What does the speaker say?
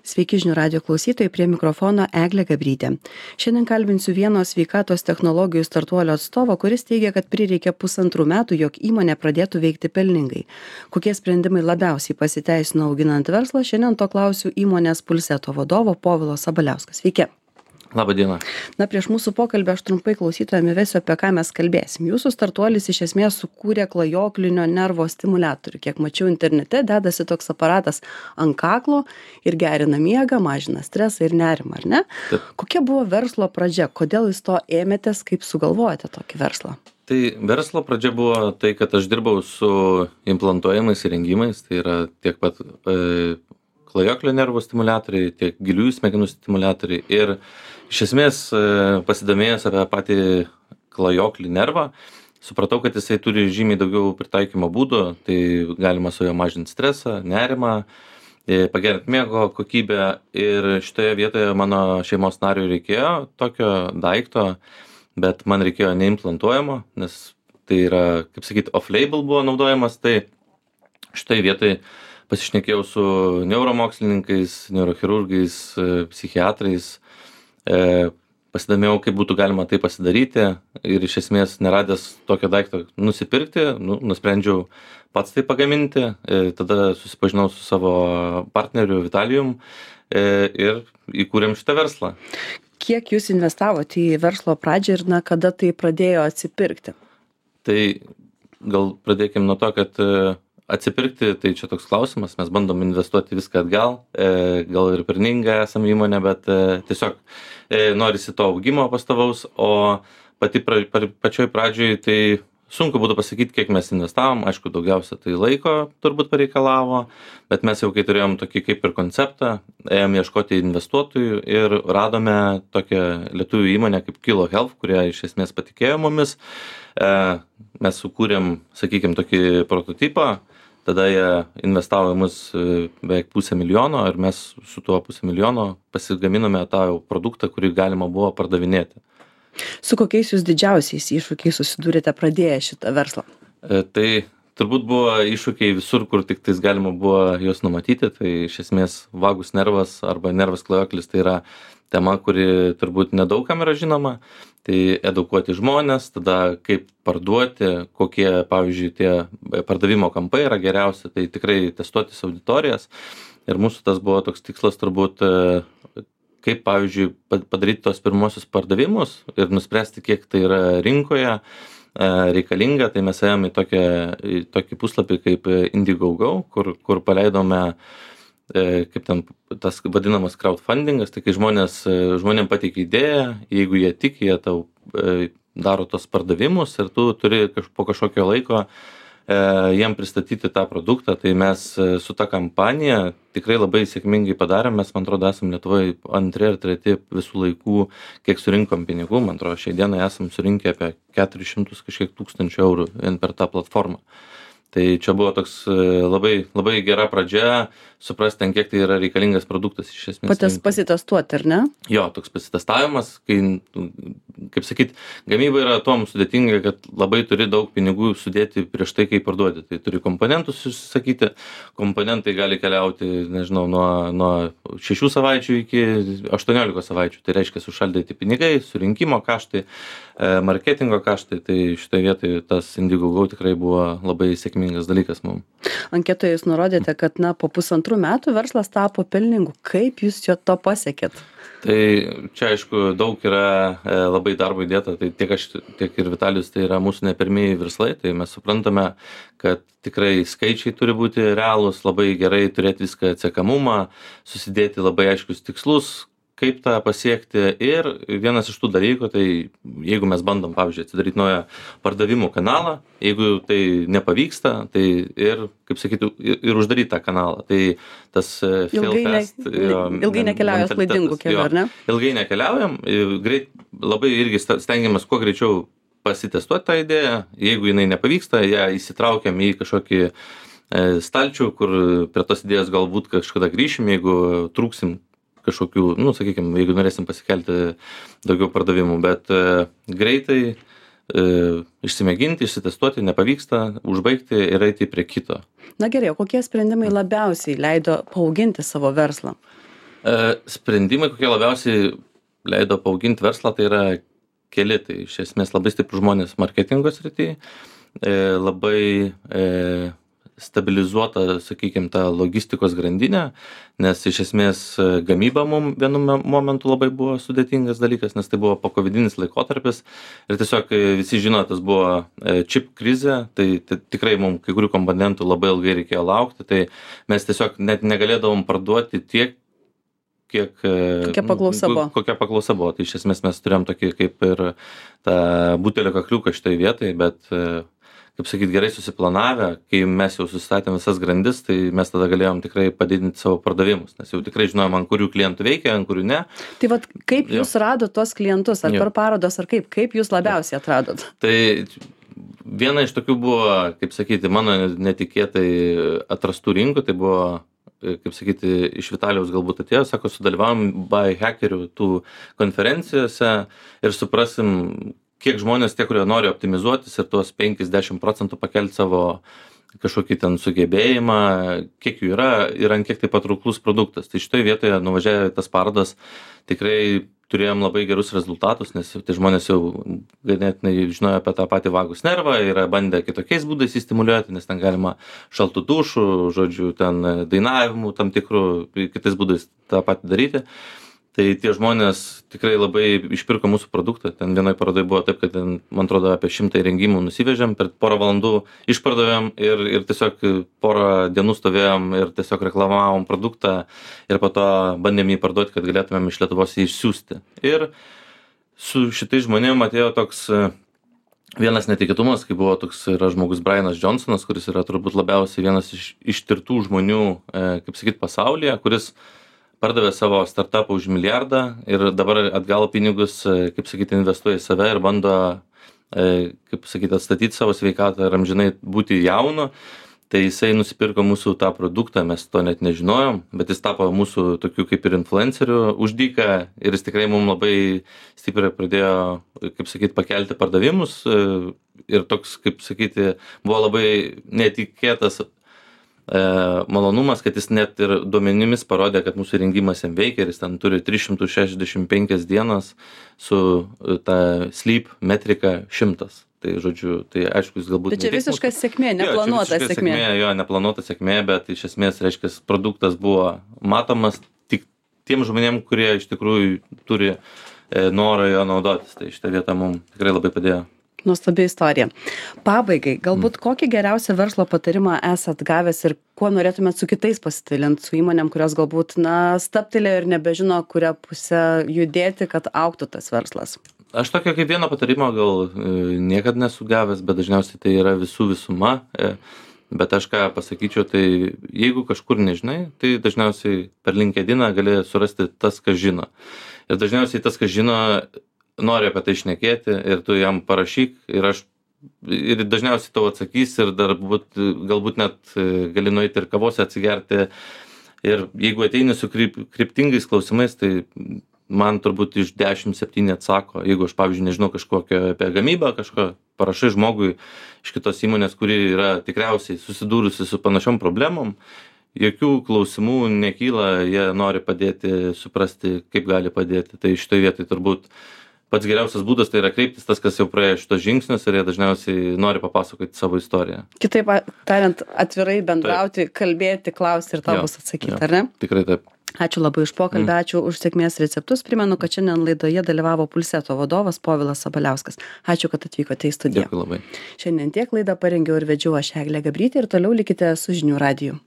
Sveiki žinių radijo klausytojai, prie mikrofono Eglė Gabrytė. Šiandien kalbinsiu vieno sveikatos technologijų startuolio atstovo, kuris teigia, kad prireikė 1,5 metų, jog įmonė pradėtų veikti pelningai. Kokie sprendimai labiausiai pasiteisino auginant verslą, šiandien to klausiu įmonės Pulseto vadovo Povilo Sabaliauskas. Sveiki. Labą dieną. Na, prieš mūsų pokalbį aš trumpai klausytojams įvesiu, apie ką mes kalbėsim. Jūsų startuolis iš esmės sukūrė klajoklinio nervo stimuliatorių. Kiek mačiau internete, dedasi toks aparatas ant kaklo ir gerina miegą, mažina stresą ir nerimą, ar ne? Taip. Kokia buvo verslo pradžia? Kodėl jūs to ėmėtės, kaip sugalvojate tokį verslą? Tai verslo pradžia buvo tai, kad aš dirbau su implantuojamais įrengimais, tai yra tiek pat klajoklio nervų stimuliatoriai, tiek giliųjų smegenų stimuliatoriai. Ir iš esmės pasidomėjęs apie patį klajoklį nervą, supratau, kad jisai turi žymiai daugiau pritaikymo būdų, tai galima su juo mažinti stresą, nerimą, pagerinti miego kokybę. Ir šitoje vietoje mano šeimos nariui reikėjo tokio daikto, bet man reikėjo neimplantuojamo, nes tai yra, kaip sakyti, off-label buvo naudojamas. Tai šitoje vietoje pasišnekėjau su neuromokslininkais, neurochirurgais, psichiatrais, pasidomėjau, kaip būtų galima tai pasidaryti ir iš esmės neradęs tokio daikto nusipirkti, nusprendžiau pats tai pagaminti. Tada susipažinau su savo partneriu Vitalijum ir įkūrėm šitą verslą. Kiek jūs investavote į verslo pradžią ir kada tai pradėjo atsipirkti? Tai gal pradėkim nuo to, kad atsipirkti, tai čia toks klausimas, mes bandom investuoti viską atgal, gal ir pelninga esam įmonė, bet tiesiog norisi to augimo pastovaus, o pačioj pradžioj tai sunku būtų pasakyti, kiek mes investavom, aišku, daugiausia tai laiko turbūt pareikalavo, bet mes jau kai turėjom tokį kaip ir konceptą, ėjom ieškoti investuotojų ir radome tokią lietuvių įmonę kaip Kilo Health, kurie iš esmės patikėjo mumis. Mes sukūrėm, sakykime, tokį prototipą, tada jie investavo į mus beveik 500,000 ir mes su tuo 500,000 pasigaminome tą produktą, kurį galima buvo pardavinėti. Su kokiais jūs didžiausiais iššūkiais susidūrėte pradėję šitą verslą? Tai turbūt buvo iššūkiai visur, kur tik tais galima buvo juos numatyti. Tai iš esmės vagus nervas arba nervas klajoklis tai yra tema, kuri turbūt nedaugam yra žinoma. Tai edukuoti žmonės, tada kaip parduoti, kokie, pavyzdžiui, tie pardavimo kampai yra geriausi, tai tikrai testuotis auditorijas. Ir mūsų tas buvo toks tikslas turbūt, kaip, pavyzdžiui, padaryti tos pirmosius pardavimus ir nuspręsti, kiek tai yra rinkoje reikalinga. Tai mes ėjome į tokį puslapį kaip Indiegogo, kur paleidome kaip ten tas vadinamas crowdfundingas, tai kai žmonėm pateikia idėją, jeigu jie tiki, jie tau daro tos pardavimus ir tu turi po kažkokio laiko jiem pristatyti tą produktą. Tai mes su ta kampanija tikrai labai sėkmingai padarėm. Mes, man atrodo, esam Lietuvoje antri ar treti visų laikų, kiek surinkom pinigų. Man atrodo, šiai dienai esam surinkę apie 400 kažkiek tūkstančių eurų per tą platformą. Tai čia buvo toks labai, labai gera pradžia, suprasti, kiek tai yra reikalingas produktas iš esmės. Pasitestuoti, ar ne? Jo, toks pasitestavimas, kai, kaip sakyt, gamyba yra tuom sudėtinga, kad labai turi daug pinigų sudėti prieš tai, kai parduodi. Tai turi komponentus susisakyti, komponentai gali keliauti, nežinau, nuo 6 savaičių iki 18 savaičių. Tai reiškia sušaldyti pinigai, surinkimo kaštai, marketingo kaštai. Tai šitoje vietoje tas Indiegogo tikrai buvo labai sėkmingas dalykas mums. Anketoje jūs nurodėte, kad po 1,5 metų verslas tapo pelningu. Kaip jūs to pasiekėt? Tai čia, aišku, daug yra labai darbo įdėta. Tai tiek aš, tiek ir Vitalijus, tai yra mūsų ne pirmieji verslai. Tai mes suprantame, kad tikrai skaičiai turi būti realūs, labai gerai turėti viską atsekamumą, susidėti labai aiškius tikslus, kaip tą pasiekti. Ir vienas iš tų dalykų, tai jeigu mes bandom, pavyzdžiui, atsidaryti naują pardavimų kanalą, jeigu tai nepavyksta, tai ir, kaip sakytų, ir uždaryti tą kanalą. Tai tas ilgai nekeliaujam klaidingų kelių, ar ne? Ilgai nekeliaujam, labai irgi stengiamės kuo greičiau pasitestuoti tą idėją. Jeigu jinai nepavyksta, ją įsitraukiam į kažkokį stalčių, kur prie tos idėjos galbūt kažkada grįšim, jeigu trūksim kažkokių, sakykime, jeigu norėsim pasikelti daugiau pardavimų, bet greitai išsimėginti, išsitestuoti, nepavyksta, užbaigti ir eiti prie kito. Na gerai, o kokie sprendimai labiausiai leido paauginti savo verslą? Sprendimai, kokie labiausiai leido paauginti verslą, tai yra keli. Tai iš esmės labai stiprūs žmonės marketingo srityje, labai stabilizuota, sakykime, ta logistikos grandinė, nes iš esmės gamyba mum vienu momentu labai buvo sudėtingas dalykas, nes tai buvo pokovidinis laikotarpis ir tiesiog visi žino, tas buvo čip krizė, tai tikrai mums kai kurių komponentų labai ilgai reikėjo laukti, tai mes tiesiog net negalėdavom parduoti tiek, kiek kokia paklausa buvo. Tai iš esmės mes turėjom tokį kaip ir tą butelio kakliuką šitoj vietoj, bet kaip sakyt, gerai susiplanavę, kai mes jau susistatėm visas grandis, tai mes tada galėjom tikrai padidinti savo pardavimus, nes jau tikrai žinojom, ant kurių klientų veikia, ant kurių ne. Tai vat kaip jūs radot tuos klientus, ar per parodas, ar kaip jūs labiausiai atradot? Tai viena iš tokių buvo, kaip sakyti, mano netikėtai atrastų rinkų, tai buvo, kaip sakyti, iš Vitalijaus galbūt atėjo, sako, sudalyvavom biohackerių tų konferencijose ir suprasim, kiek žmonės tie, kurie nori optimizuotis ir tuos 50% pakelti savo kažkokį ten sugebėjimą, kiek jų yra ir ant kiek tai patrauklus produktas. Tai šitoje vietoje nuvažiavę tas parodas tikrai turėjom labai gerus rezultatus, nes tai žmonės jau ganėtinai žinojo apie tą patį vagus nervą, yra bandę kitokiais būdais įstimuliuoti, nes ten galima šaltų dušų, žodžiu, ten dainavimų tam tikrų, kitais būdais tą patį daryti. Tai tie žmonės tikrai labai išpirko mūsų produktą. Ten vienoj parodoj buvo taip, kad ten, man atrodo, apie 100 įrengimų nusivežėm, per porą valandų išpardavėm ir tiesiog porą dienų stovėjom ir tiesiog reklamavom produktą ir po to bandėm jį parduoti, kad galėtumėm iš Lietuvos jį išsiųsti. Ir su šitais žmonėm atėjo toks vienas netikėtumas, kai buvo toks yra žmogus Brianas Johnsonas, kuris yra turbūt labiausiai vienas iš ištirtų žmonių, kaip sakyt, pasaulyje, kuris pardavė savo startupą už milijardą ir dabar atgal pinigus, kaip sakyti, investuoja į save ir bando, kaip sakyti, atstatyti savo sveikatą ir amžinai būti jaunu. Tai jisai nusipirko mūsų tą produktą, mes to net nežinojom, bet jis tapo mūsų tokiu kaip ir influenceriu už dyką ir jis tikrai mums labai stipriai pradėjo, kaip sakyti, pakelti pardavimus ir toks, kaip sakyti, buvo labai netikėtas malonumas, kad jis net ir duomenimis parodė, kad mūsų įrengimas jam veikia ir jis ten turi 365 dienas su ta sleep metrika 100. Tai žodžiu, tai aišku, jis galbūt... Tai čia visiška sėkmė, neplanuota sėkmė. Jo, neplanuota sėkmė, bet iš esmės, reiškia, produktas buvo matomas tik tiem žmonėm, kurie iš tikrųjų turi norą jo naudotis. Tai šitą vietą mums tikrai labai padėjo. Nuostabi istorija. Pabaigai, galbūt kokį geriausią verslo patarimą esat gavęs ir kuo norėtumėt su kitais pasidalinti, su įmonėm, kurios galbūt, stabtelėjo ir nebežino, kurią pusę judėti, kad augtų tas verslas? Aš tokio kaip vieną patarimą gal niekad nesu gavęs, bet dažniausiai tai yra visų visuma. Bet aš ką pasakyčiau, tai jeigu kažkur nežinai, tai dažniausiai per LinkedIną gali surasti tas, kas žino. Ir dažniausiai tas, kas žino, nori apie tai šnekėti ir tu jam parašyk ir dažniausiai tau atsakys ir dar galbūt net gali nueiti ir kavos atsigerti. Ir jeigu ateini su kryptingais klausimais, tai man turbūt iš 10-7 atsako. Jeigu aš, pavyzdžiui, nežinau kažkokio apie gamybą, kažko parašai žmogui iš kitos įmonės, kuri yra tikriausiai susidūrusi su panašiom problemom, jokių klausimų nekyla, jie nori padėti, suprasti, kaip gali padėti. Tai šitoje vietoje turbūt pats geriausias būdas tai yra kreiptis tas, kas jau praėjo šitos žingsnius ir jie dažniausiai nori papasakoti savo istoriją. Kitaip tariant, atvirai bendrauti, kalbėti, klausti ir tau bus atsakyti, ar ne? Tikrai taip. Ačiū labai už pokalbį, ačiū už sėkmės receptus. Primenu, kad šiandien laidoje dalyvavo Pulseto vadovas Povilas Sabaliauskas. Ačiū, kad atvykote į studiją. Dėkui labai. Šiandien tiek laidą parengiau ir vedžiau aš Eglė Gabrytė ir toliau likite su Žinių radiju.